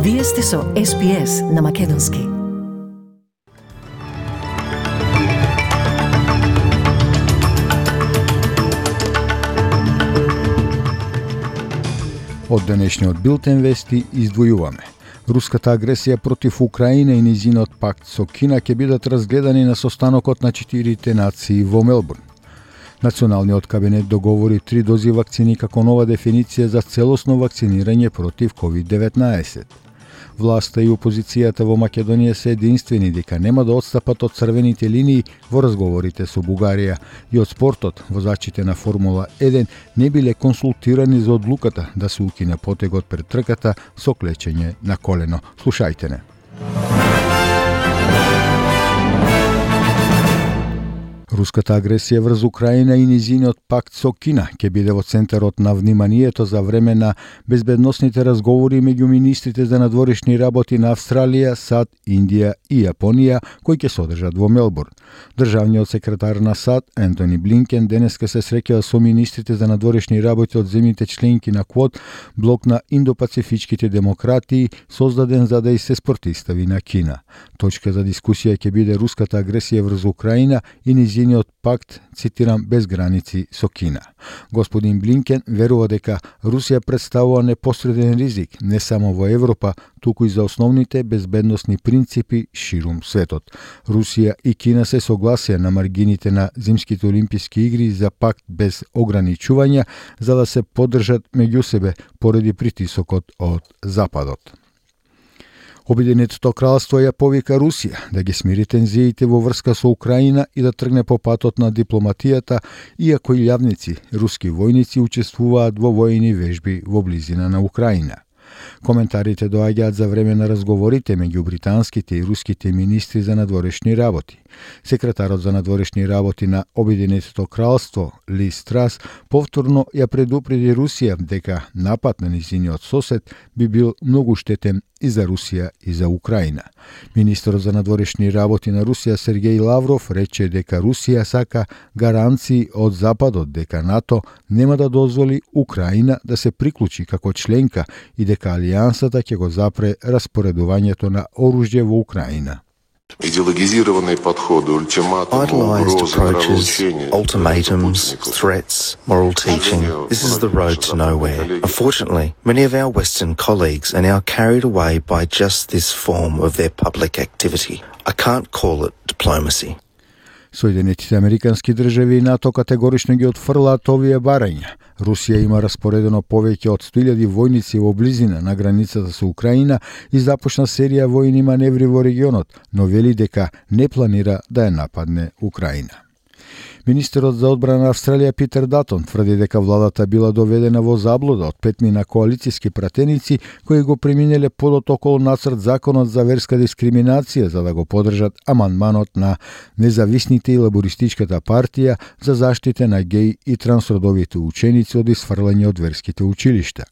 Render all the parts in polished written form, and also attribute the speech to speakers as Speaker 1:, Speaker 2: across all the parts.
Speaker 1: Вие сте со SPS на Македонски.
Speaker 2: Од денешниот билтен вести издвојуваме. Руската агресија против Украина и низинот пакт со Кина ќе бидат разгледани на состанокот на 4 нации во Мелбурн. Националниот кабинет договори 3 дози вакцини како нова дефиниција за целосно вакцинирање против COVID-19. Власта и опозицијата во Македонија се единствени дека нема да отстапат од црвените линии во разговорите со Бугарија и од спортот. Возачите на Формула 1 не биле консултирани за одлуката да се укине потегот пред трката со клечење на колено. Слушајте не. Руската агресија врз Украина и низиниот пакт со Кина ќе биде во центарот на вниманието за време на безбедносните разговори меѓу министрите за надворешни работи на Австралија, САД, Индија и Јапонија, кои ќе се одржат во Мелбурн. Државниот секретар на САД, Ентони Блинкен, денеска се среќава со министрите за надворешни работи од земјите членки на КВОД, блок на индопацифичките демократии, создаден за да и се спротивстави на Кина. Точка за дискусија ќе биде руската агресија врз Украина и низиниот пакт, цитирам, без граници со Кина. Господин Блинкен верува дека Русија представува непосреден ризик не само во Европа, туку и за основните безбедносни принципи ширум светот. Русија и Кина се согласија на маргините на Зимските олимписки игри за пакт без ограничувања за да се поддржат меѓу себе поради притисокот од Западот. Обединетото кралство ја повика Русија да ги смири тензиите во врска со Украина и да тргне по патот на дипломатијата, иако и јавници руски војници учествуваат во војни вежби во близина на Украина. Коментарите доаѓаат за време на разговорите меѓу британските и руските министри за надворешни работи. Секретарот за надворешни работи на Обединетото кралство, Лиз Трас, повторно ја предупреди Русија дека напад на низиниот сосед би бил многу штетен и за Русија и за Украина. Министерот за надворешни работи на Русија Сергеј Лавров рече дека Русија сака гаранции од Западот дека НАТО нема да дозволи Украина да се приклучи како членка и дека алијансата ќе го запре распоредувањето на оружје во Украина.
Speaker 3: Ideologizirane подходи,
Speaker 4: Idealized approaches, ultimatums, threats, moral teaching. This is the road to nowhere. Unfortunately, many of our Western colleagues are now carried away by just this form of their public activity. I can't call it diplomacy.
Speaker 2: Соединетите Американски држави и НАТО категорично ги отфрлаат овие барања. Русија има распоредено повеќе од 100.000 војници во близина на границата со Украина и започна серија војни маневри во регионот, но вели дека не планира да ја нападне Украина. Министерот за одбрана на Австралија Питер Датон тврди дека владата била доведена во заблуда од 5 на коалициски пратеници кои го преминеле подот околу нацрт законот за верска дискриминација за да го поддржат амандманот на независните и лабористичката партија за заштита на геј и трансродовите ученици од исфрлање од верските училишта.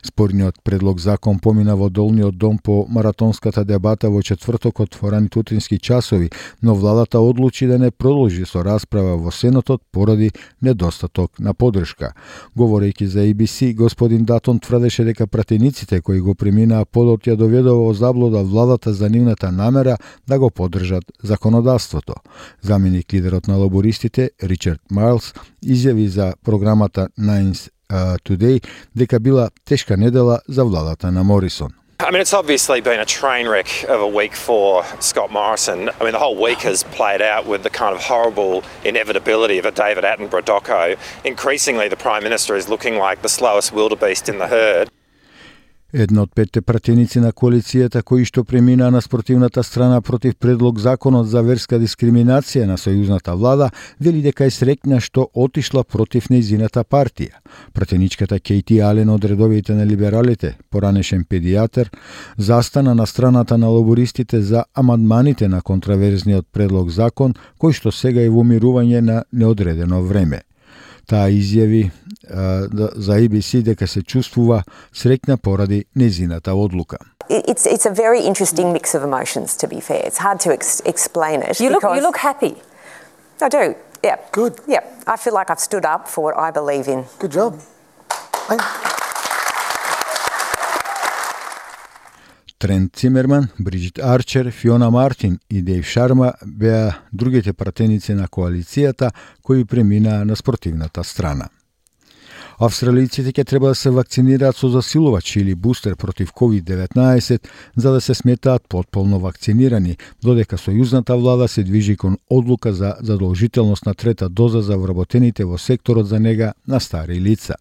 Speaker 2: Спорниот предлог закон помина во долниот дом по маратонската дебата во четвртокот во раните утрински часови, но владата одлучи да не продолжи со расправа во Сенатот поради недостаток на поддршка. Говорејќи за ABC, господин Датон тврдеше дека пратениците кои го преминаа подот ја доведува во заблуда владата за нивната намера да го поддржат законодавството. Заменик лидерот на лабористите Ричард Майлс изјави за програмата Nines Today дека била тешка недела за владата на Морисон.
Speaker 5: I mean, it's obviously been a train wreck of a week for Scott Morrison. I mean, the whole week has played out with the kind of horrible inevitability of a David Attenborough doco. Increasingly, the Prime Minister is looking like the slowest wildebeest in the herd.
Speaker 2: Една од 5 пратеници на коалицијата кои што преминаа на спротивната страна против предлог законот за верска дискриминација на сојузната влада, вели дека е среќна што отишла против нејзината партија. Пратеничката Кейти Ален од редовите на либералите, поранешен педијатар, застана на страната на лабористите за амандманите на контраверзниот предлог закон, кој што сега е во мирување на неодредено време. Таа изјави за ABC дека се чувствува среќна поради нејзината одлука.
Speaker 6: It's a very interesting mix of emotions, to be fair. It's hard to explain it. You look happy. I do, yeah.
Speaker 7: Good.
Speaker 6: Yeah, I feel like I've stood up for what I believe in.
Speaker 7: Good job.
Speaker 2: Трент Цимерман, Бриджит Арчер, Фиона Мартин и Дейв Шарма беа другите пратеници на коалицијата кои преминаа на спортивната страна. Австралијците ќе треба да се вакцинираат со засилувач или бустер против COVID-19 за да се сметаат потполно вакцинирани, додека сојузната влада се движи кон одлука за задолжителност на трета доза за вработените во секторот за нега на стари лица.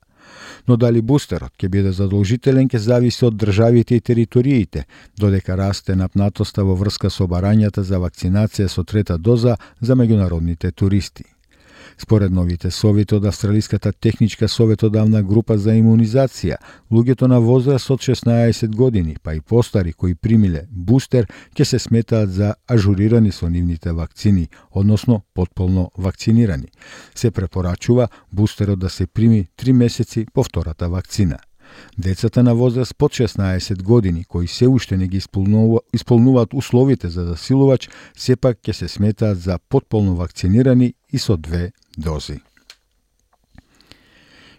Speaker 2: Но дали бустерот ќе биде задолжителен ќе зависи од државите и териториите, додека расте напнатоста во врска со барањата за вакцинација со трета доза за меѓународните туристи. Според новите совети од Австралиската техничка советодавна група за имунизација, луѓето на возраст од 16 години, па и постари кои примиле бустер, ќе се сметаат за ажурирани со нивните вакцини, односно потполно вакцинирани. Се препорачува бустерот да се прими 3 месеци по втората вакцина. Децата на возраст под 16 години, кои се уште не ги исполнуваат условите за засилувач, сепак ќе се сметаат за потполно вакцинирани и со 2 дози.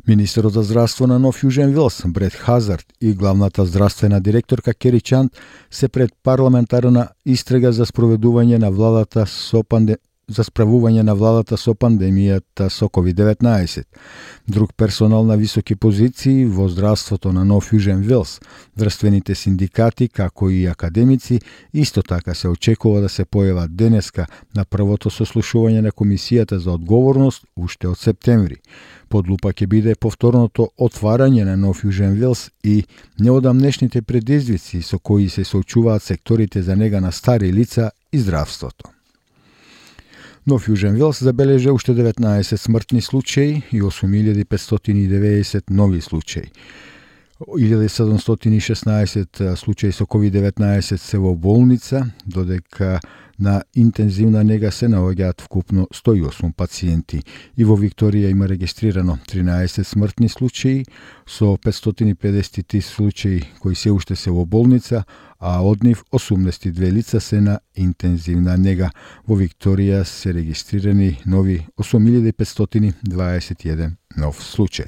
Speaker 2: Министерот за здравство на Нов Јужен Велс, Брет Хазард и главната здравствена директорка Кери Чанд се пред парламентарна истрага за спроведување на владата со пандемијата со COVID-19. Друг персонал на високи позиции во здравството на Нов Јужен Велс, здравствените синдикати, како и академици, исто така се очекува да се појават денеска на првото сослушување на Комисијата за одговорност уште од септември. Под лупа ќе биде повторното отварање на Нов Јужен Велс и неодамнешните предизвици со кои се соочуваат секторите за нега на стари лица и здравството. Нов Јужен Велс забележа уште 19 смртни случаи и 8590 нови случаи. 1716 случаи со COVID-19 се во болница, додека на интензивна нега се наоѓаат вкупно 108 пациенти. И во Викторија има регистрирано 13 смртни случаи со 550 случаи кои се уште се во болница, а од нив 82 лица се на интензивна нега. Во Викторија се регистрирани нови 8521 нов случај.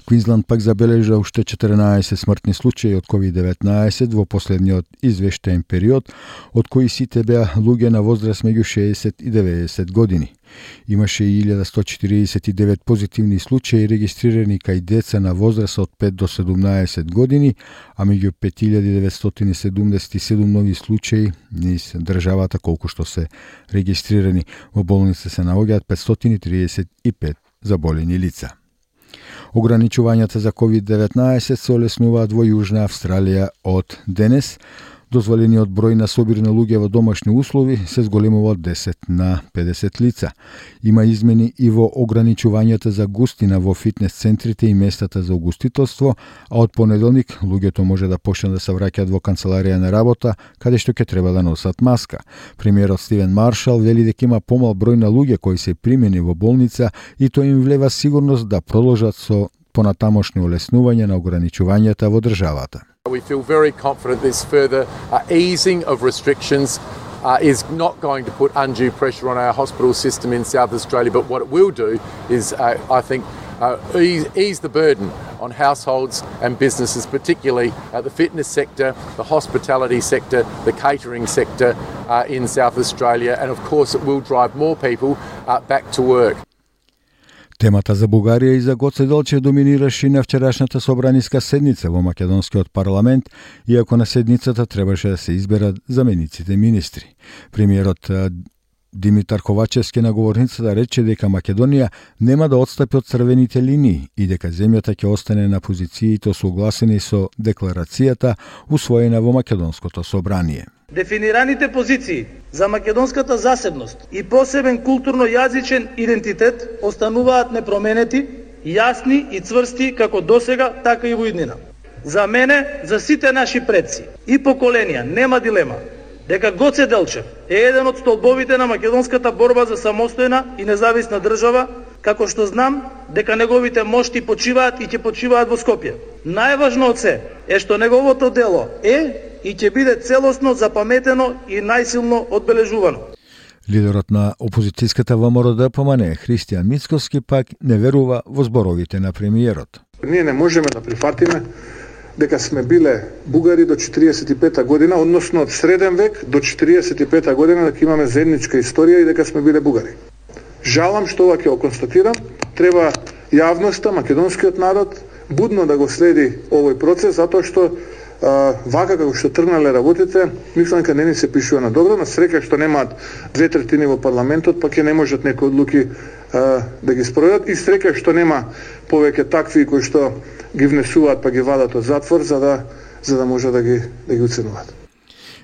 Speaker 2: Квинсленд пак забележа уште 14 смртни случаи од COVID-19 во последниот извештаен период, од кои сите беа луѓе на возраст меѓу 60 и 90 години. Имаше и 1149 позитивни случаи регистрирани кај деца на возраст од 5 до 17 години, а меѓу 5977 нови случаи низ државата колку што се регистрирани. Во болница се наоѓаат 535 заболени лица. Ограничувањата за COVID-19 се олеснуваат во Јужна Австралија од денес. Дозволениот број на собирни луѓе во домашни услови се зголемува од 10 на 50 лица. Има измени и во ограничувањата за густина во фитнес центрите и местата за угостителство, а од понеделник луѓето може да почнат да се враќаат во канцеларија на работа, каде што ќе треба да носат маска. Премиерот Стивен Маршал вели дека има помал број на луѓе кои се примени во болница и тоа им влева сигурност да продолжат со понатамошни олеснување на ограничувањата во државата.
Speaker 7: We feel very confident this further easing of restrictions is not going to put undue pressure on our hospital system in South Australia, but what it will do is, I think, ease the burden on households and businesses, particularly the fitness sector, the hospitality sector, the catering sector in South Australia, and of course it will drive more people back to work.
Speaker 2: Темата за Бугарија и за Гоце Делчев доминираше и на вчерашната собраниска седница во македонскиот парламент, иако на седницата требаше да се изберат замениците министри. Премиерот Димитар Ковачевски на говорницата рече дека Македонија нема да отстапи од црвените линии и дека земјата ќе остане на позициите согласени со декларацијата усвоена во македонското собрание.
Speaker 8: Дефинираните позиции за македонската засебност и посебен културно-јазичен идентитет остануваат непроменети, јасни и цврсти како досега, така и во иднина. За мене, за сите наши предци и поколенија нема дилема дека Гоце Делчев е еден од столбовите на македонската борба за самостојна и независна држава, како што знам дека неговите мошти почиваат и ќе почиваат во Скопје. Најважно од се е што неговото дело е и ќе биде целосно запаметено и најсилно одбележувано.
Speaker 2: Лидерот на опозицијската ВМРО ДПМН Христијан Мицковски пак не верува во зборовите на премиерот.
Speaker 9: Ние не можеме да прифатиме дека сме биле бугари до 45 година, односно од среден век до 45 година дека имаме заедничка историја и дека сме биле бугари. Жалам што ова ќе го констатирам. Треба јавноста, македонскиот народ будно да го следи овој процес, затоа што вака како што тргнале работите, мислам дека не ни се пишува на добро, на среќа што немаат 2/3 во парламентот, па ќе не можат некои одлуки да ги спроведат, и среќа што нема повеќе такви кои што ги внесуваат па ги вадат од затвор за да може да ги оценуваат.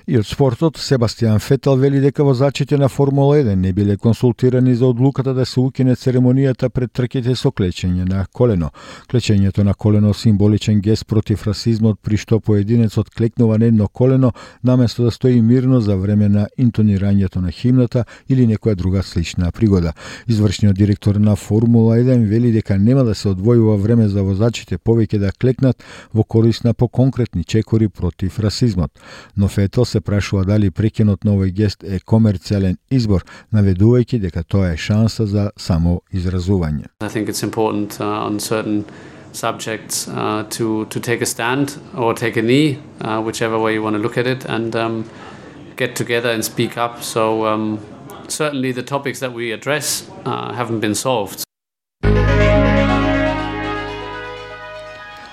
Speaker 2: И од спортот, Себастијан Фетел вели дека возачите на Формула 1 не биле консултирани за одлуката да се укине церемонијата пред трките со клечење на колено. Клечењето на колено символичен гест против расизмот, при што поединецот клекнува на едно колено наместо да стои мирно за време на интонирањето на химната или некоја друга слична пригода. Извршниот директор на Формула 1 вели дека нема да се одвојува време за возачите повеќе да клекнат во корист на поконкретни чекори против расизмот. Но Фетел се прашува дали прекинот на овој гест е комерцијален избор, наведувајќи дека тоа е шанса за само изразување.
Speaker 10: I think it's important on certain subjects to take a stand or take a knee, whichever way you want to look at it, and get together and speak up. So certainly the topics that we address haven't been solved.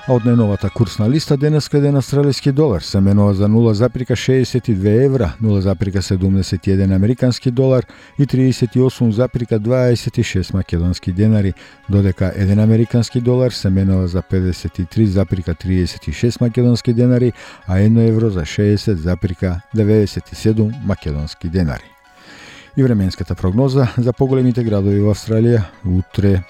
Speaker 2: А од најновата курсна листа денеска еден австралиски долар се менува за 0,62 евра, 0,71 американски долар и 38,26 македонски денари, додека еден американски долар се менува за 53,36 македонски денари, а 1 евро за 60,97 македонски денари. И временската прогноза за поголемите градови во Австралија утре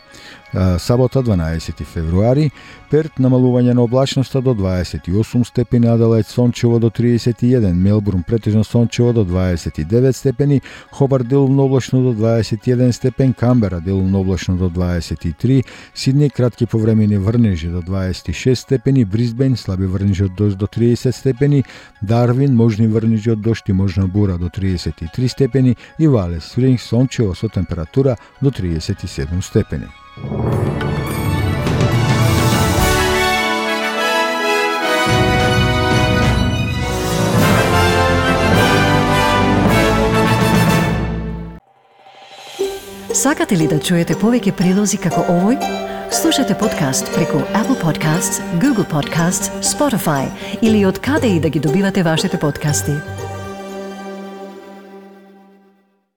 Speaker 2: сабота 12 февруари, Перт намалување на облачноста до 28 степени, Аделаид сончево до 31, Мелбурн претежно сончево до 29 степени, Хобарт делумно облачно до 21 степен, Камбера делумно облачно до 23, Сидни кратки повремени врнежи до 26 степени, Брисбен слаби врнежи од дожд до 30 степени, Дарвин можни врнежи од дожд и можна бура до 33 степени и Валес Спрингс сончево со температура до 37 степени.
Speaker 1: Сакате ли да чуете повеќе прилози како овој? Слушате подкаст преку Apple Podcasts, Google Podcasts, Spotify или од каде и да ги добивате вашите подкасти.